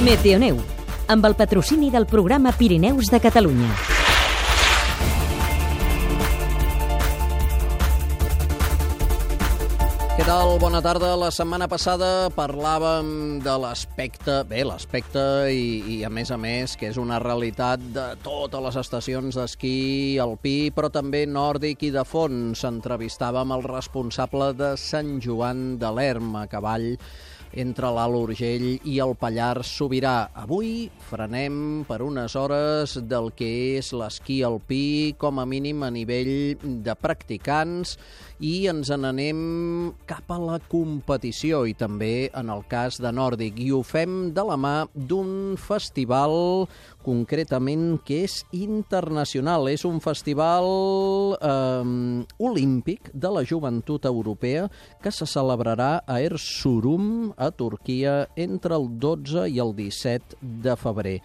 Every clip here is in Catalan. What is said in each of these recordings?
Meteoneu, amb el patrocini del programa Pirineus de Catalunya. Què tal? Bona tarda. La setmana passada parlàvem de l'aspecte i a més, que és una realitat de totes les estacions d'esquí alpí, però també nòrdic i de fons. Entrevistàvem el responsable de Sant Joan de l'Erm, a cavall entre l'Alt Urgell i el Pallars Sobirà. Avui frenem per unes hores del que és l'esquí alpí, com a mínim a nivell de practicants, i ens n'anem cap a la competició i també en el cas de nòrdic. I ho fem de la mà d'un festival concretament que és internacional. És un festival olímpic de la joventut europea que se celebrarà a Erzurum, a Turquia, entre el 12 i el 17 de febrer.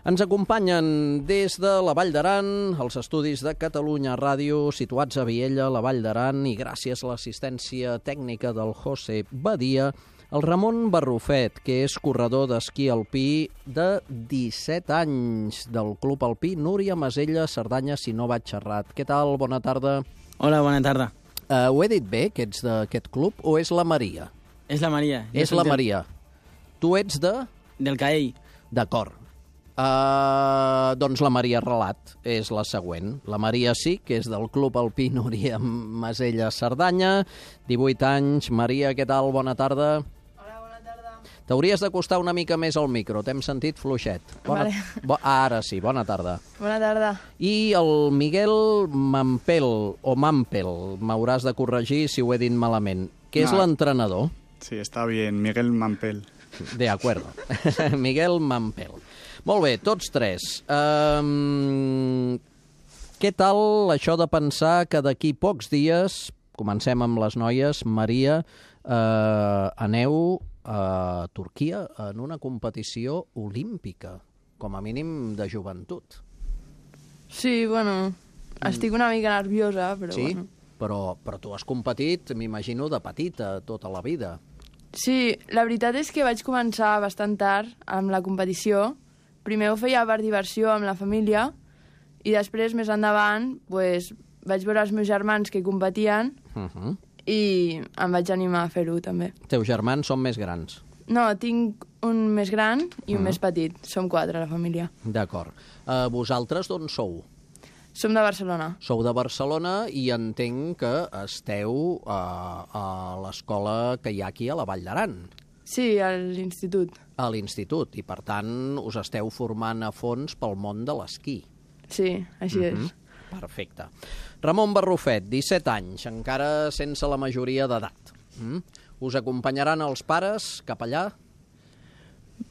Ens acompanyen des de la Vall d'Aran, els estudis de Catalunya Ràdio, situats a Viella, la Vall d'Aran, i gràcies a l'assistència tècnica del José Badia, el Ramon Barrufet, que és corredor d'esquí alpí de 17 anys del Club Alpí Núria Masella, Cerdanya, si no vaig errat. Què tal? Bona tarda. Hola, bona tarda. Ho he dit bé, que ets d'aquest club, o és la Maria? És la Maria. És la Maria. Tu ets de? Del Caell. D'acord. Doncs la Maria Relat és la següent. La Maria sí, que és del Club Alpí Núria Masella, Cerdanya, 18 anys. Maria, què tal? Bona tarda. Hola, bona tarda. T'hauries d'acostar una mica més al micro, t'hem sentit fluixet. Vale. Ara sí, bona tarda. Bona tarda. I el Miguel Mampel, m'hauràs de corregir si ho he dit malament, que és l'entrenador. Sí, está bien, Miguel Mampel. De acuerdo. Miguel Mampel. Molt bé, tots tres. Què tal això de pensar que d'aquí pocs dies, comencem amb les noies, Maria, aneu a Turquia en una competició olímpica, com a mínim de joventut? Sí, bueno, estic una mica nerviosa, però sí? bueno. Però tu has competit, m'imagino, de petita, tota la vida. Sí, la veritat és que vaig començar bastant tard amb la competició. Primer ho feia per diversió amb la família i després, més endavant, pues, vaig veure els meus germans que competien i em vaig animar a fer-ho també. Teus germans són més grans? No, tinc un més gran i un més petit. Som 4 a la família. D'acord. Vosaltres d'on sou? Som de Barcelona. Sou de Barcelona i entenc que esteu a l'escola que hi ha aquí a la Vall d'Aran. Sí, a l'institut. A l'institut, i per tant us esteu formant a fons pel món de l'esquí. Sí, així és. Perfecte. Ramon Barrufet, 17 anys, encara sense la majoria d'edat. Us acompanyaran els pares cap allà?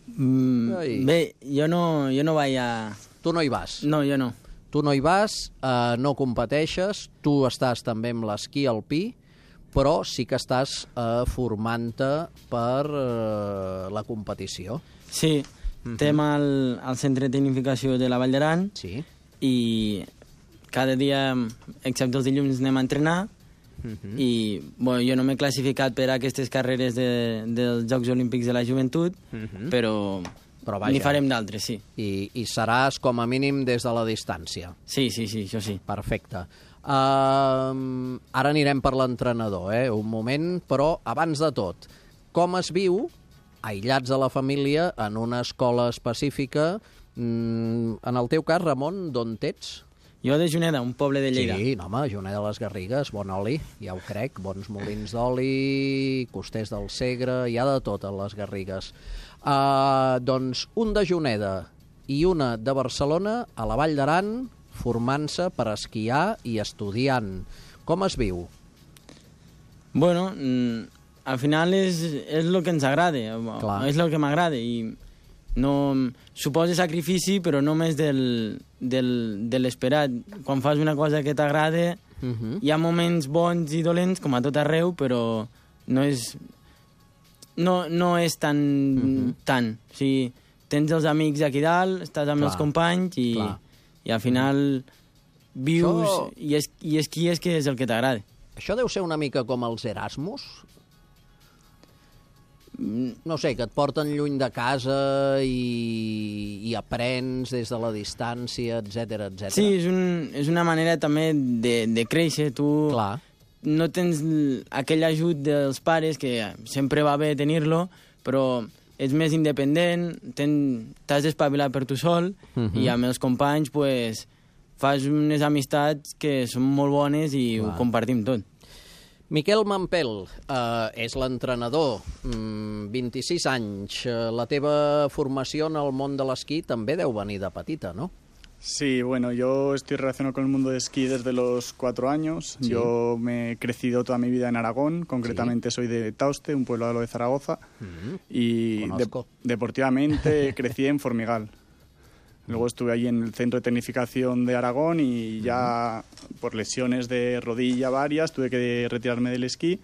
Bé, jo no vaig a... Tu no hi vas? No, jo no. Tu no hi vas, no competeixes, tu estàs també amb l'esquí alpí, però sí que estàs formant-te per la competició. Sí. Estem al centre de tecnificació de la Vall d'Aran i cada dia, excepte els dilluns, anem a entrenar i jo no m'he classificat per a aquestes carreres dels Jocs Olímpics de la Joventut, però n'hi farem d'altres, sí. I seràs com a mínim des de la distància. Sí, això sí. Perfecte. Ara anirem per l'entrenador, un moment, però abans de tot, com es viu, aïllats de la família, en una escola específica? En el teu cas, Ramon, d'on ets? Jo de Juneda, un poble de Lleida. Sí, home, Juneda de les Garrigues, bon oli, ja ho crec, bons molins d'oli, costers del Segre, hi ha de tot a les Garrigues. Doncs un de Juneda i una de Barcelona, a la Vall d'Aran, formant-se per esquiar i estudiant. Com es viu? Bueno, al final és el que ens agrada, és el que m'agrada i no suposa sacrifici, però només de l'esperat. Quan fas una cosa que t'agrada, hi ha moments bons i dolents, com a tot arreu, però no és tant. O sigui, tens els amics aquí dalt, estàs amb els companys i al final vius i esquies, que és el que t'agrada. Això deu ser una mica com els Erasmus? no sé, que et porten lluny de casa i aprens des de la distància, etc etc. Sí, és una manera també de créixer. Tu no tens aquell ajut dels pares, que sempre va bé tenir-lo, però ets més independent, t'has d'espavilar per tu sol, i amb els companys pues, fas unes amistats que són molt bones i ho compartim tot. Miquel Mampel és l'entrenador, 26 anys. La teva formació en el món de l'esquí també deu venir de petita, no? Sí, bueno, yo estoy relacionado con el mundo de esquí desde los 4 años. Sí. Yo me he crecido toda mi vida en Aragón, concretamente soy de Tauste, un pueblo al lado de Zaragoza, y deportivamente crecí en Formigal. Luego estuve allí en el centro de tecnificación de Aragón y ya por lesiones de rodilla varias tuve que retirarme del esquí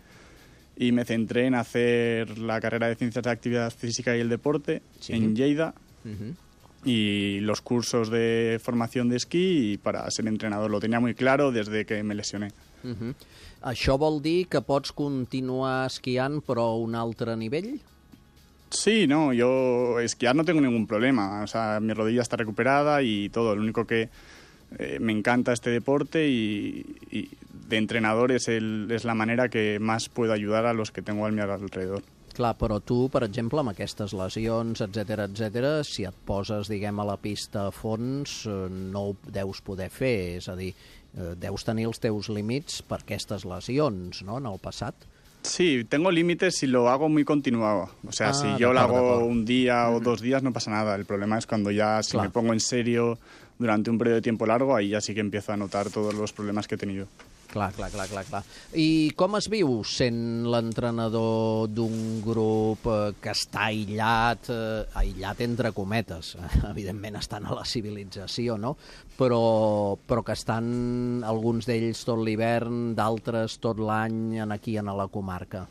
y me centré en hacer la carrera de Ciencias de la Actividad Física y el Deporte en Lleida y los cursos de formación de esquí para ser entrenador. Lo tenía muy claro desde que me lesioné. Això vol dir que pots continuar esquiant però a un altre nivell? Sí, no, yo esquiar no tengo ningún problema, o sea, mi rodilla está recuperada y todo, lo único que me encanta este deporte y de entrenador es la manera que más puedo ayudar a los que tengo a mi alrededor. Clar, però tu, per exemple, amb aquestes lesions, etc, si et poses, diguem, a la pista a fons, no ho deus poder fer, és a dir, deus tenir els teus límits per aquestes lesions, no?, en el passat. Sí, tengo límites si lo hago muy continuado. O sea, si yo lo hago un día o 2 días no pasa nada. El problema es cuando ya, si me pongo en serio durante un periodo de tiempo largo, ahí ya sí que empiezo a notar todos los problemas que he tenido. Clar. I com es viu sent l'entrenador d'un grup que està aïllat entre cometes? Evidentment estan a la civilització, no? Però que estan alguns d'ells tot l'hivern, d'altres tot l'any aquí en la comarca.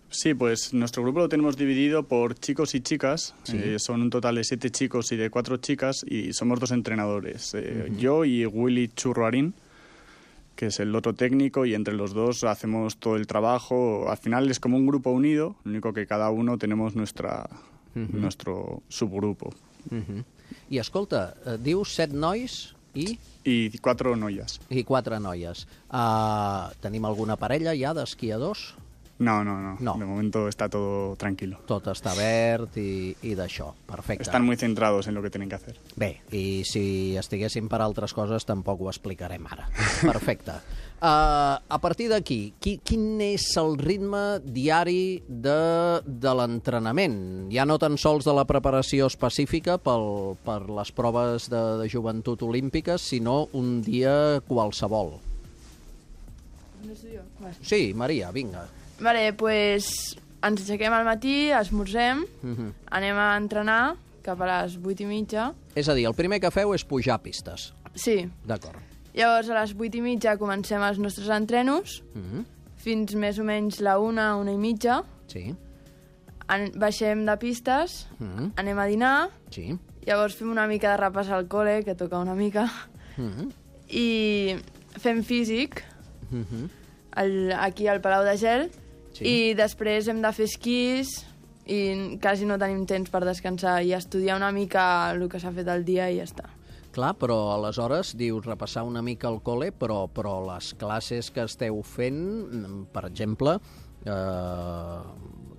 Sí, pues nuestro grupo lo tenemos dividido por chicos y chicas. Sí. Son un total de 7 chicos y de 4 chicas y somos 2 entrenadores. Yo y Willy Churruarín, que es el otro técnico, y entre los 2 hacemos todo el trabajo. Al final es como un grupo unido, lo único que cada uno tenemos nuestro subgrupo. I escolta, dius 7 nois i... I 4 noies. I 4 noies. Tenim alguna parella ja d'esquiadors? No. De momento está todo tranquilo. Tot està verd i d'això. Perfecte. Están muy centrados en lo que tienen que hacer. Bé, i si estiguéssim per altres coses tampoc ho explicarem ara. Perfecte. A partir d'aquí, quin és el ritme diari de l'entrenament? Ja no tan sols de la preparació específica per les proves de joventut olímpiques, sinó un dia qualsevol. No sé jo. Sí, Maria, vinga. Vale, pues ens aixequem al matí, esmorzem, anem a entrenar cap a les 8:30. És a dir, el primer que feu és pujar pistes. Sí. D'acord. Llavors, a les 8:30 comencem els nostres entrenos, fins més o menys la 1:30. Sí. Baixem de pistes, anem a dinar, sí. Llavors fem una mica de repàs al col·le, que toca una mica, i fem físic, aquí al Palau de Gel, i després hem de fer esquís i quasi no tenim temps per descansar i estudiar una mica el que s'ha fet el dia i ja està. Clar, però aleshores dius repassar una mica el col·le, però les classes que esteu fent, per exemple,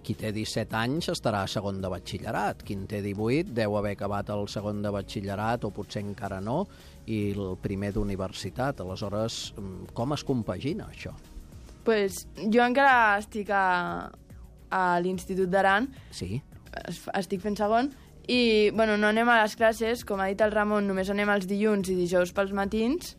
qui té 17 anys estarà a segon de batxillerat, qui en té 18 deu haver acabat el segon de batxillerat o potser encara no, i el primer d'universitat. Aleshores, com es compagina això? Pues jo encara estic a l'Institut d'Aran, sí. Estic fent segon, i bueno, no anem a les classes, com ha dit el Ramon, només anem els dilluns i dijous pels matins,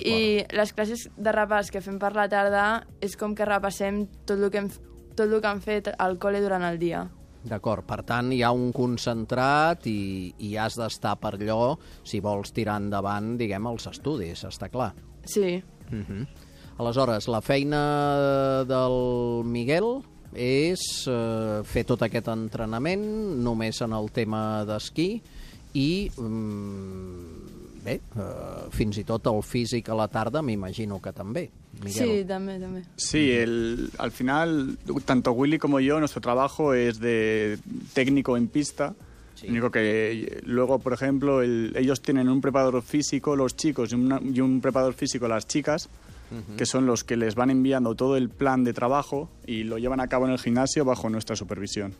i les classes de repàs que fem per la tarda és com que repassem tot el que han fet al col·le durant el dia. D'acord, per tant hi ha un concentrat i has d'estar per allò si vols tirar endavant, diguem, els estudis, està clar? Sí. Aleshores, la feina del Miguel és fer tot aquest entrenament només en el tema d'esquí i bé, fins i tot el físic a la tarda m'imagino que també, Miguel. Sí, també. Sí, al final, tanto Willy como yo, nuestro trabajo es de técnico en pista. Sí. Lo único que luego, por ejemplo, ellos tienen un preparador físico, los chicos, y un preparador físico, las chicas, que son los que les van enviando todo el plan de trabajo y lo llevan a cabo en el gimnasio bajo nuestra supervisión.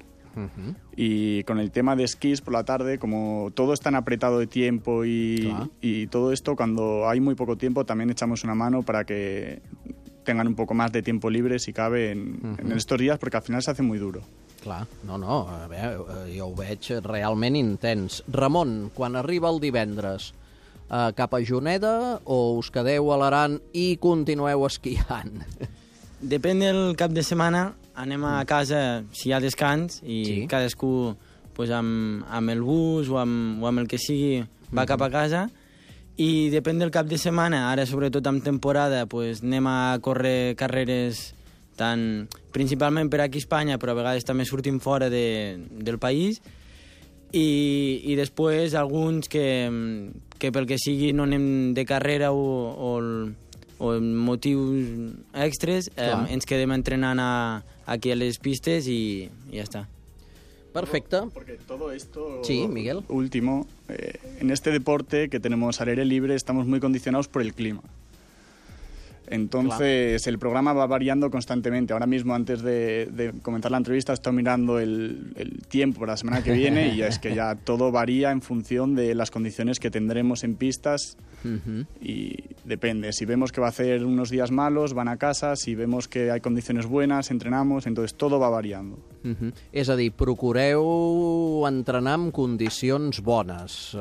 Y con el tema de esquís por la tarde, como todo es tan apretado de tiempo y todo esto, cuando hay muy poco tiempo también echamos una mano para que tengan un poco más de tiempo libre, si cabe, en estos días, porque al final se hace muy duro. Clar, no, a veure, jo ho veig realment intens. Ramon, quan arriba el divendres, cap a Juneda o us quedeu a l'Aran i continueu esquiant? Depèn del cap de setmana, anem a casa si hi ha descans i cadascú pues, amb el bus o amb el que sigui va cap a casa, i depèn del cap de setmana, ara sobretot en temporada pues, anem a córrer carreres principalment per aquí a Espanya, però a vegades també sortim fora del país, i després alguns que pel que sigui no anem de carrera o motius extres, ens quedem entrenant aquí a les pistes i ja està. Perfecte. Porque todo esto, sí, Miguel. Último, en este deporte que tenemos al aire libre estamos muy condicionados por el clima. Entonces, el programa va variando constantemente. Ahora mismo, antes de comenzar la entrevista, he estado mirando el tiempo para la semana que viene y es que ya todo varía en función de las condiciones que tendremos en pistas y depende. Si vemos que va a hacer unos días malos, van a casa. Si vemos que hay condiciones buenas, entrenamos. Entonces, todo va variando. És a dir, procureu entrenar en condicions bones,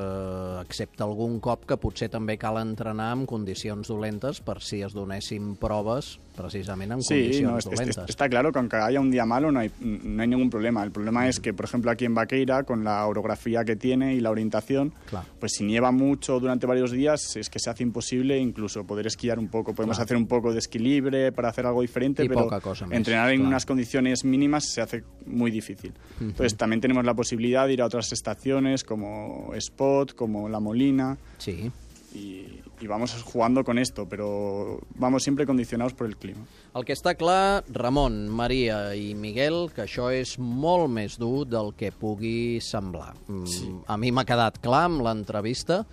excepte algun cop que potser també cal entrenar en condicions dolentes per si es donéssim proves precisament en condicions dolentes. Está claro que aunque haya un día malo no hay ningún problema. El problema es que, por ejemplo, aquí en Vaqueira, con la orografía que tiene y la orientación, pues si nieva mucho durante varios días, es que se hace imposible incluso poder esquiar un poco. Podemos hacer un poco de esquí libre para hacer algo diferente, pero entrenar en unas condiciones mínimas se hace muy difícil. Entonces también tenemos la posibilidad de ir a otras estaciones como Spot, como La Molina. Sí. Y vamos jugando con esto, pero vamos siempre condicionados por el clima. El que està clar, Ramon, Maria i Miguel, que això és molt més dur del que pugui semblar. Sí. A mi m'ha quedat clar amb l'entrevista.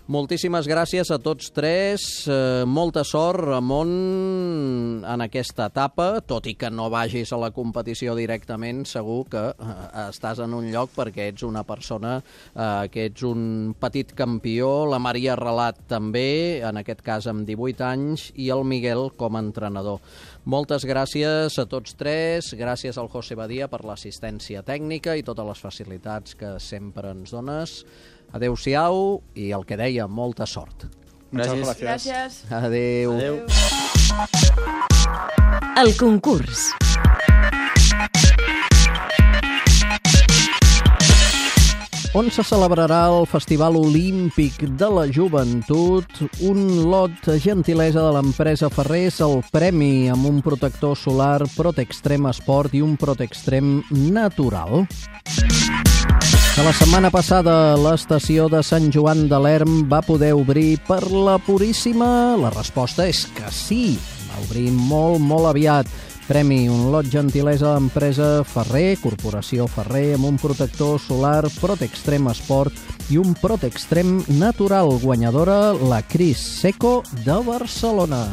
Moltíssimes gràcies a tots tres. Molta sort, Ramon, en aquesta etapa, tot i que no vagis a la competició directament, segur que estàs en un lloc perquè ets una persona, que ets un petit campió, la Maria Relat també, en aquest cas amb 18 anys, i el Miguel com a entrenador. Moltes gràcies a tots tres, gràcies al José Badia per l'assistència tècnica i totes les facilitats que sempre ens dones. Adéu-siau i el que deia, molta sort. Gràcies. Adéu. El concurs. On se celebrarà el Festival Olímpic de la Joventut, un lot gentilesa de l'empresa Ferrés, el premi amb un protector solar Protextrem Sport i un Protextrem natural. Que la setmana passada l'estació de Sant Joan de l'Erm va poder obrir per la Puríssima? La resposta és que sí, va obrir molt, molt aviat. Premi, un lot gentilesa de l'empresa Ferrer, Corporació Ferrer, amb un protector solar Protextrem Sport i un Protextrem natural. Guanyadora, la Cris Seco de Barcelona.